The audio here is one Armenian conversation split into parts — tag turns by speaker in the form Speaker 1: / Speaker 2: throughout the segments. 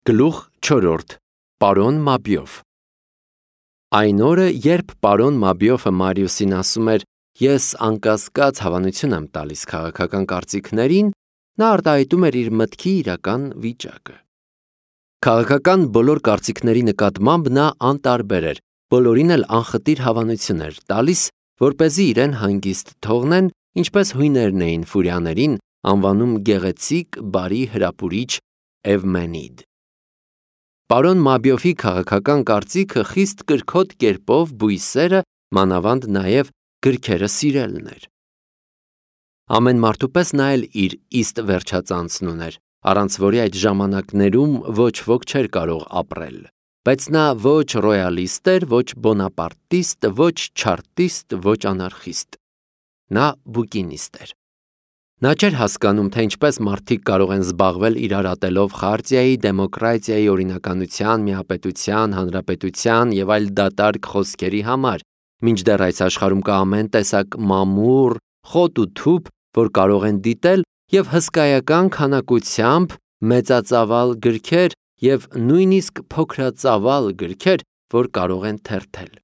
Speaker 1: Գլուխ 4. Պարոն Մաբիով Այն օրը, երբ պարոն Մաբիովը Մարիուսին ասում էր. «Ես անկասկած հավանություն եմ տալիս քաղաքական կարծիքներին», նա արտահայտում էր իր մտքի իրական վիճակը։ Քաղաքական բոլոր կարծիքների նկատմամբ նա անտարբեր էր, բոլորին էլ անխտիր հավանություն էր տալիս, որպեսզի իրեն հանգիստ թողնեն, ինչպես հույներն էին ֆուրիաներին անվանում գեղեցիկ, բարի հրապուրիչ Էվմենիդ։ Պարոն Մաբիովի քաղաքական կարծիքը խիստ կրքոտ կերպով բույսերը, մանավանդ նաև գրքերը սիրելն էր։ Ամեն մարդու պես նա էլ իր իստ վերջածանցն ուներ, առանց որի այդ ժամանակներում ոչ ոք չէր կարող ապրել, բայց նա ոչ ռոյալիստ էր, ոչ բոնապարտիստ, ոչ չարտիստ, ոչ անարխիստ։ Նա բուկինիստ էր։ Նա չէր հասկանում, թե ինչպես մարդիկ կարող են զբաղվել իրար ատելով խարտիայի, դեմոկրատիայի, օրինականության, միապետության, հանրապետության և այլ դատարկ խոսքերի համար, մինչդեռ այս աշխարհում կա ամեն տեսակ մամուռ, խոտ ու թուփ, որ կարող են դիտել, և հսկայական քանակությամբ մեծածավալ գրքեր և նույնիսկ փոքրածավալ գրքեր, որ կարող են թերթել։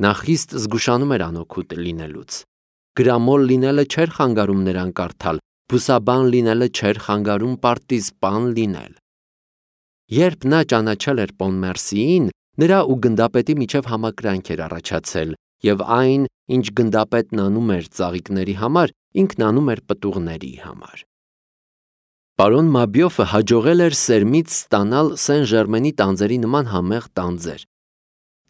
Speaker 1: Նա խիստ զգուշանում էր անօգուտ լինելուց։ Գրամոլ լինելը չէր խանգարում նրան կարդալ, բուսաբան լինելը չէր խանգարում պարտիզպան լինել։ Երբ նա ճանաչել էր Պոնմերսիին, նրա ու գնդապետի միջև համակրանք էր առաջացել, և այն, ինչ գնդապետն անում էր ծաղիկների համար, ինքն անում էր պտուղների համար։ Պարոն Մաբիովը հաջողել էր սերմից ստանալ Սեն Ժերմենի տանձերի նման համեղ տանձեր։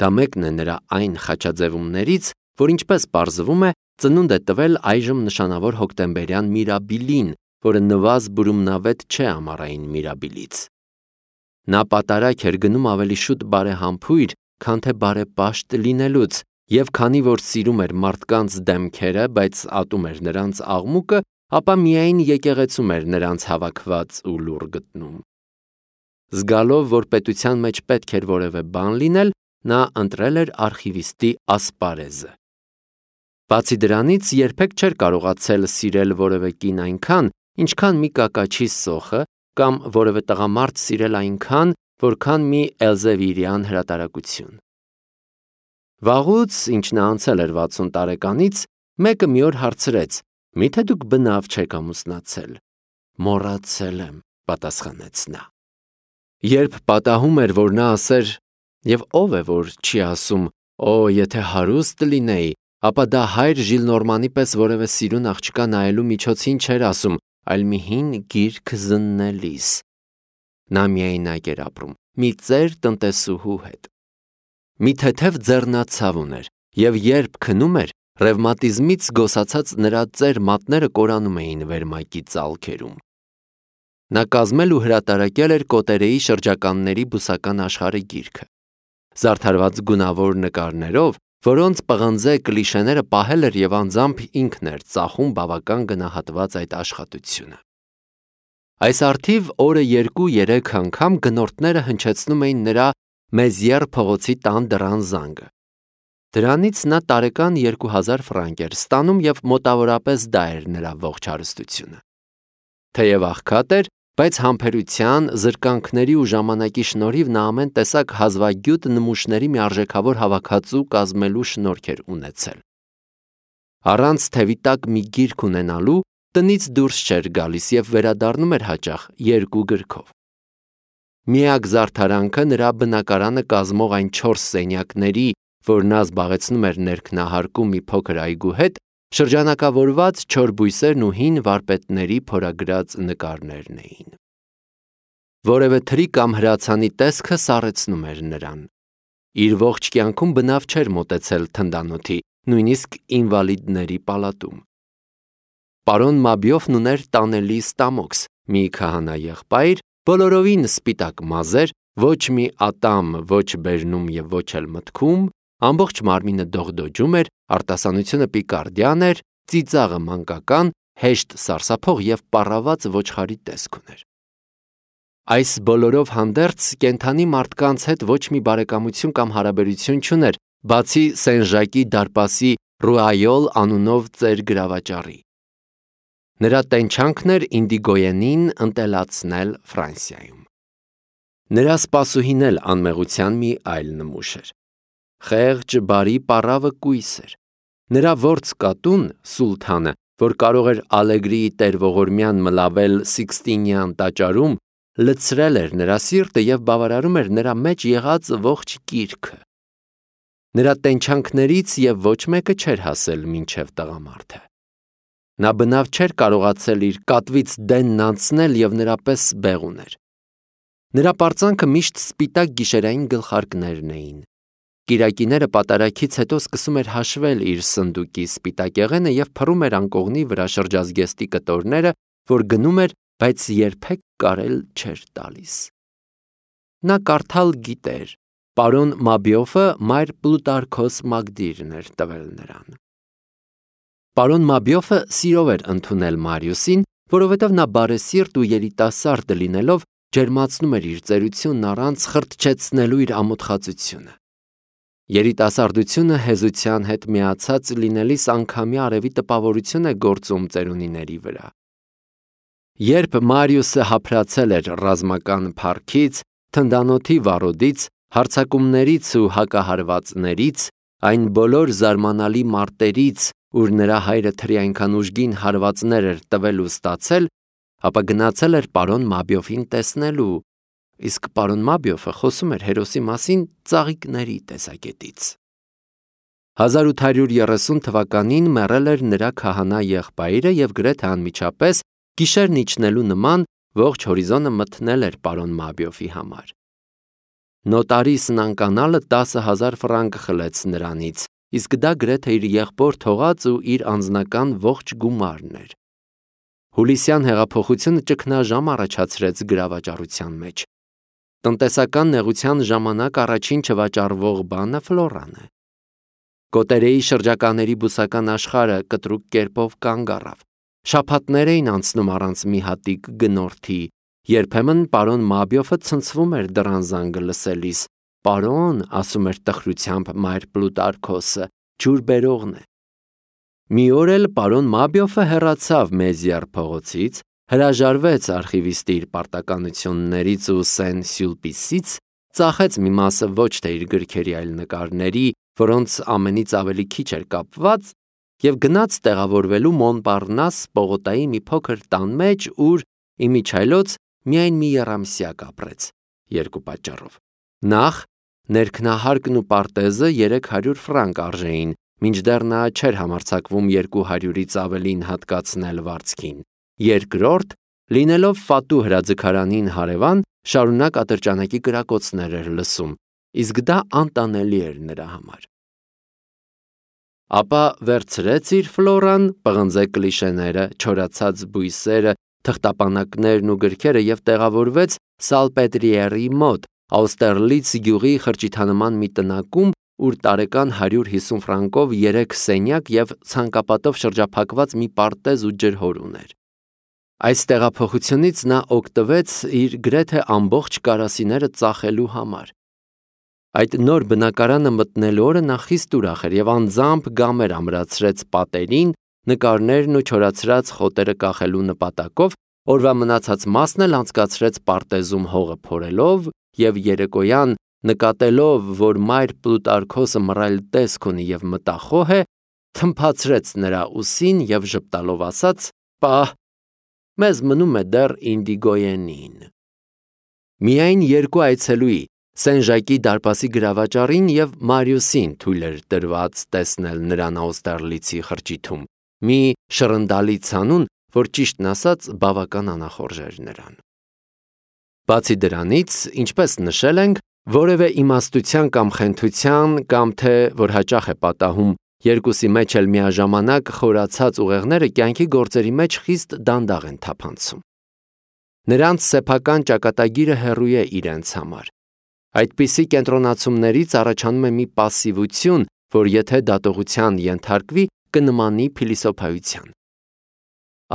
Speaker 1: Դա մեկն է նրա այն խաչաձևումներից, որ ինչպես պարզվում է, ծնունդ է տվել այժմ նշանավոր հոկտեմբերյան Միրաբիլին, որը նվազ բուրումնավետ չէ ամառային Միրաբիլից։ Նա պատարագ էր գնում ավելի շուտ բարեհամբույր, քան թե բարեպաշտ լինելուց, և քանի որ սիրում էր մարդկանց դեմքերը, բայց ատում էր նրանց աղմուկը, ապա միայն եկեղեցում էր նրանց հավաքված ու լուռ գտնում։ Զգալով, որ պետության մեջ պետք էր որևէ բան լինել, նա ընտրել էր արխիվիստի ասպարեզը։ Բացի դրանից, երբեք չէր կարողացել սիրել որևէ կին այնքան, ինչքան մի կակաչի սոխը, կամ որևէ տղամարդ սիրել այնքան, որքան մի էլզևիրյան հրատարակություն։ Վաղուց, ինչ նա անցել էր 60 տարեկանից, մեկը մի օր հարցրեց. «Միթե դուք բնավ չեք ամուսնացել»։ «Մոռացել եմ», պատասխանեց նա։ Երբ պատահում էր, որ նա ասեր. «Եվ ով է, որ չի ասում. «Օ, եթե հարուստ լինեի», ապա դա հայր Ժիլնորմանի պես որևէ սիրուն աղջկա նայելու միջոցին չէր ասում, այլ մի հին գիրք զննելիս։ Նա միայնակ էր ապրում, մի ծեր տնտեսուհու հետ։ Մի թեթև ձեռնացավ ուներ, և երբ քնում էր, ռևմատիզմից զգոսացած նրա ծեր մատները կորանում էին վերմակի ծալքերում։ Նա կազմել ու հրատարակել էր Կոտերեի շրջականների բուսական աշխարհը գիրքը։ Զարդարված գունավոր նկարներով, որոնց պղնձե կլիշեները պահել էր և անձամբ ինքն էր ծախում բավական գնահատված այդ աշխատությունը։ Այս առթիվ օրը 2-3 անգամ գնորդները հնչեցնում էին նրա Մեզիեր փողոցի տան դռան զանգը։ Դրանից նա տարեկան 2000 ֆրանկ էր ստանում և մոտավորապես դա էր նրա ողջ հարստությունը։ Թեև աղքատ էր, բայց համբերության, զրկանքների ու ժամանակի շնորհիվ նա ամեն տեսակ հազվագյուտ նմուշների մի արժեքավոր հավաքածու կազմելու շնորհք էր ունեցել։ Առանց թևի տակ մի գիրք ունենալու տնից դուրս չէր գալիս և վերադառնում էր հաճախ 2 գրքով։ Միակ զարդարանքը նրա բնակարանը կազմող այն 4 սենյակների, որ նա զբաղեցնում էր ներքնահարկում մի փոքր այգու հետ, շրջանակավորված չոր բույսերն ու հին վարպետների փորագրած նկարներն էին։ Որևէ թրի կամ հրացանի տեսքը սառեցնում էր նրան։ Իր ողջ կյանքում բնավ չէր մոտեցել թնդանոթի, նույնիսկ ինվալիդների պալատում։ Պարոն Մաբիովն ուներ տանելի ստամոքս, մի քահանա եղբայր, բոլորովին սպիտակ մազեր, ոչ մի ատամ, ոչ բերնում և ոչ էլ մտքում, ամբողջ մարմինը դողդոջում էր, արտասանությունը պիկարդյան էր, ծիծաղը մանկական, հեշտ սարսափող և պառաված ոչխարի տեսք ուներ։ Այս բոլորով հանդերձ կենդանի մարդկանց հետ ոչ մի բարեկամություն կամ հարաբերություն չուներ, բացի Սեն Ժակի դարպասի Ռուայոլ անունով ծեր գրավաճառի։ Նրա տենչանքն էր ինդիգոյենին ընտելացնել Ֆրանսիայում։ Նրա սպասուհին էլ անմեղության մի այլ նմուշ էր։ Խեղճ, բարի պառավը կույս էր։ Նրա որդս կատուն, Սուլթանը, որ կարող էր Ալեգրիի տեր-ողորմյան մլավել Սիկստինյան տաճարում, լցրել էր նրա սիրտը և բավարարում էր նրա մեջ եղած ողջ կիրքը։ Նրա տենչանքներից և ոչ մեկը չէր հասել մինչև տղամարդը։ Նա բնավ չէր կարողացել իր կատվից դենն անցնել և նրա պես բեղուն էր։ Նրա պարծանքը միշտ սպիտակ գիշերային գլխարկներն էին։ Կիրակիները պատարագից հետո սկսում էր հաշվել իր սնդուկի սպիտակեղենը և փռում էր անկողնի վրա շրջազգեստի կտորները, որ գնում էր, բայց երբեք կարել չէր տալիս։ Նա կարդալ գիտեր, պարոն Մաբիոֆը մայր Պլուտարքոս Մագդիրն էր տվել նրան։ Պարոն Մաբիոֆը սիրով էր ընդունել Մարիուսին, որովհետև նա բարեսիրտ ու երիտասարդ լինելով ջերմացնում էր իր ծերությունն առանց խրտչեցնելու իր ամոթխածությունը։ Երիտասարդությունը հեզության հետ միացած լինելիս անգամյա արևի տպավորություն է գործում ծերունիների վրա։ Երբ Մարիուսը հափրացել էր ռազմական փառքից, թնդանոթի վառոդից, հարձակումներից ու հակահարվածներից, այն բոլոր զարմանալի մարտերից, ուր նրա հայրը թրի այնքան ուժգին հարվածներ էր տվել ու ստացել, ապա գնացել էր պարոն Մաբիոֆին տեսնելու, իսկ պարոն Մաբիոֆը խոսում էր հերոսի մասին ծաղիկների տեսակետից։ 1830 թվականին մեռել էր նրա քահանա եղբայրը և գրեթե անմիջապես գիշերն իջնելու նման ողջ հորիզոնը մթնել էր պարոն Մաբիոֆի համար։ Նոտարիսն անկանալը 10,000 ֆրանկ խլեց նրանից, իսկ դա գրեթե իր եղբոր թողած ու իր անձնական ողջ գումարն էր։ Հուլիսյան հեղափոխությունը ճգնաժամ առաջացրեց գրավաճառության մեջ։ Տնտեսական նեղության ժամանակ առաջին չվաճառվող բանը ֆլորան է։ Կոտերեի շրջականների բուսական աշխարհը կտրուկ կերպով կանգ առավ։ Շաբաթներ էին անցնում առանց մի հատիկ գնորդի, երբեմն պարոն Մաբիոֆը ցնցվում էր դռան զանգը լսելիս։ Պարոն, ասում էր տխրությամբ մայր Պլուտարքոսը, ջուր բերողն է։ Մի օր էլ պարոն Մաբիոֆը հեռացավ Մեզիար փողոցից, հրաժարվեց արխիվիստի իր պարտականություններից ու Սեն-Սյուլպիսից, ծախեց մի մասը ոչ թե իր գրքերի, այլ նկարների, որոնց ամենից ավելի քիչ էր կապված, և գնաց տեղավորվելու Մոնպարնաս պողոտայի մի փոքր տան մեջ, ուր իմիջիայլոց միայն մի եռամսյակ ապրեց, երկու պատճառով։ Նախ, ներքնահարկն ու պարտեզը 300 ֆրանկ արժեին, մինչդեռ նա չէր համարձակվում 200-ից ավելին հատկացնել վարձքին։ Երկրորդ, լինելով Ֆատու հրաձգարանին հարևան, շարունակ ատրճանակի կրակոցներ էր լսում, իսկ դա անտանելի էր նրա համար։ Ապա վերցրեց իր ֆլորան, պղնձե կլիշեները, չորացած բույսերը, թղթապանակներն ու գրքերը և տեղավորվեց Սալպետրիերի մոտ, Աուստերլից գյուղի խրճիթանման մի տնակում, ուր տարեկան 150 ֆրանկով 3 սենյակ և ցանկապատով շրջափակված մի պարտեզ ու ջրհոր ուներ։ Այս տեղափոխությունից նա օգտվեց իր գրեթե ամբողջ կարասիները ծախելու համար։ Այդ նոր բնակարանը մտնելու օրը նա խիստ ուրախ էր և անձամբ գամեր ամրացրեց պատերին, նկարներն ու չորացրած խոտերը կախելու նպատակով, օրվա մնացած մասն էլ անցկացրեց պարտեզում հողը փորելով և երեկոյան, նկատելով, որ մայր Պլուտարքոսը մռայլ տեսք ունի և մտախոհ է, թմփացրեց նրա ուսին և ժպտալով ասաց. «Պահ, մեզ մնում է դեռ Ինդիգոյենին»։ Միայն երկու այցելուի, Սեն-Ժակի դարպասի գրավաճառին և Մարիուսին թույլ էր տրված տեսնել նրան Աուստերլիցի խրճիթում, մի շռնդալի ցանուն, որ ճիշտն ասած բավական անախորժ էր նրան։ Բացի դրանից, ինչպես նշել ենք, որևէ իմաստության կամ խենթության կամ թե, որ հաճախ է պատահում, երկուսի մեջ էլ միաժամանակ խորացած ուղեղները կյանքի գործերի մեջ խիստ դանդաղ են թափանցում։ Նրանց սեփական ճակատագիրը հեռու է իրենց համար։ Այդպիսի կենտրոնացումներից առաջանում է մի պասիվություն, որ եթե դատողության ենթարկվի, կնմանի փիլիսոփայության։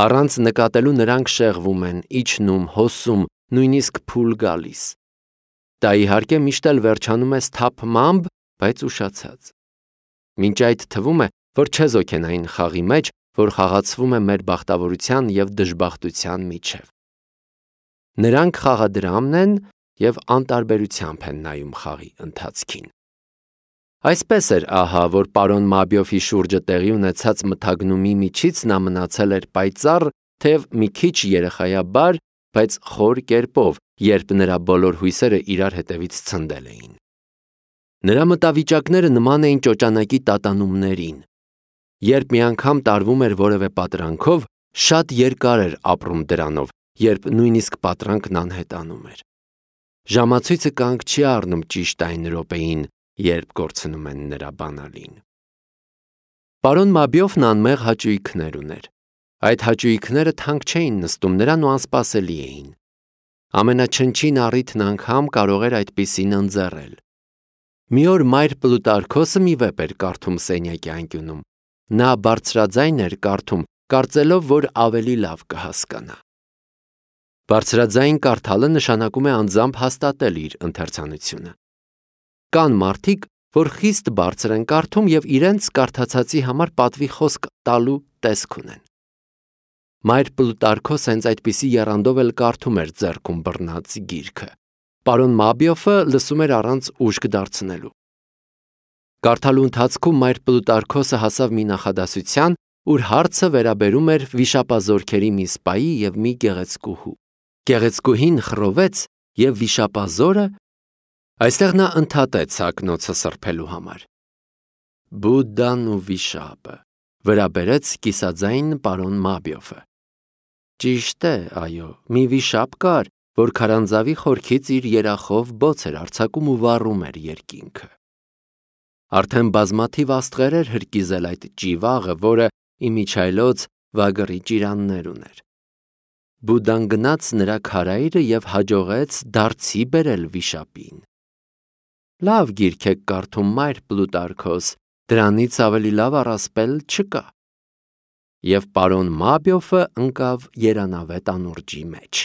Speaker 1: Առանց նկատելու նրանք շեղվում են, իջնում, հոսում, նույնիսկ փուլ գալիս։ Դա իհարկե միշտ էլ վերջանում է սթափմամբ, բայց ուշացած։ Մինչ այդ թվում է, որ չեզոք են այն խաղի մեջ, որ խաղացվում է մեր բախտավորության և դժբախտության միջև։ Նրանք խաղադրամն են, և անտարբերությամբ են նայում խաղի ընթացքին։ Այսպես էր ահա, որ պարոն Մաբիոֆի շուրջը տեղի ունեցած մթագնումի միջից նա մնացել էր պայծառ, թեև մի քիչ երեխայաբար, բայց խոր կերպով, երբ նրա բոլոր հույսերը իրար հետևից ցնդել էին։ Նրա մտավիճակները նման էին ճոճանակի տատանումներին։ Երբ մի անգամ տարվում էր որևէ պատրանքով, շատ երկար էր ապրում դրանով, երբ նույնիսկ պատրանքն անհետանում էր։ Ժամացույցը կանգ չի առնում ճիշտ այն րոպեին, երբ կորցնում են նրա բանալին։ Պարոն Մաբիոֆն անմեղ հաճույքներ ուներ։ Այդ հաճույքները թանկ չէին նստում նրան ու անսպասելի էին։ Ամենաչնչին առիթն անգամ կարող էր այդպիսին ընձեռել։ Մի օր մայր Պլուտարքոսը մի վեպ էր կարդում սենյակի անկյունում։ Նա բարձրաձայն էր կարդում, կարծելով, որ ավելի լավ կհասկանա։ Բարձրաձայն կարդալը նշանակում է անձամբ հաստատել իր ընթերցանությունը։ Կան մարդիկ, որ խիստ բարձր են կարդում և իրենց կարդացածի համար պատվի խոսք տալու տեսք ունեն։ Մայր Պլուտարքոսը հենց այդպիսի եռանդով էլ կարդում էր ձեռքում բռնած գիրքը։ Պարոն Մաբիոֆը լսում էր առանց ուշք դարձնելու։ Կարդալու ընթացքում մայր Պլուտարքոսը հասավ մի նախադասության, ուր հարցը վերաբերում էր վիշապազորքերի մի սպայի և մի գեղեցկուհու։ Գեղեցկուհին խռովեց, և վիշապազորը… Այստեղ նա ընդհատեց ակնոցը սրբելու համար։ Բուդդան ու վիշապը, վրա բերեց կիսաձայն պարոն Մաբիոֆը։ Ճիշտ է, այո, մի վիշապ կար, որ քարանձավի խորքից իր երախով բոց էր արձակում ու վառում էր երկինքը։ Արդեն բազմաթիվ աստղեր էր հրկիզել այդ ճիվաղը, որը իմիջիայլոց վագրի ճիրաններ ուներ։ Բուդդան գնաց նրա քարայրը և հաջողեց դարձի բերել վիշապին։ Լավ գիրք եք կարդում, մայր Պլուտարքոս, դրանից ավելի լավ առասպել չկա։ Եվ պարոն Մաբիոֆը ընկավ երանավետ անուրջի մեջ։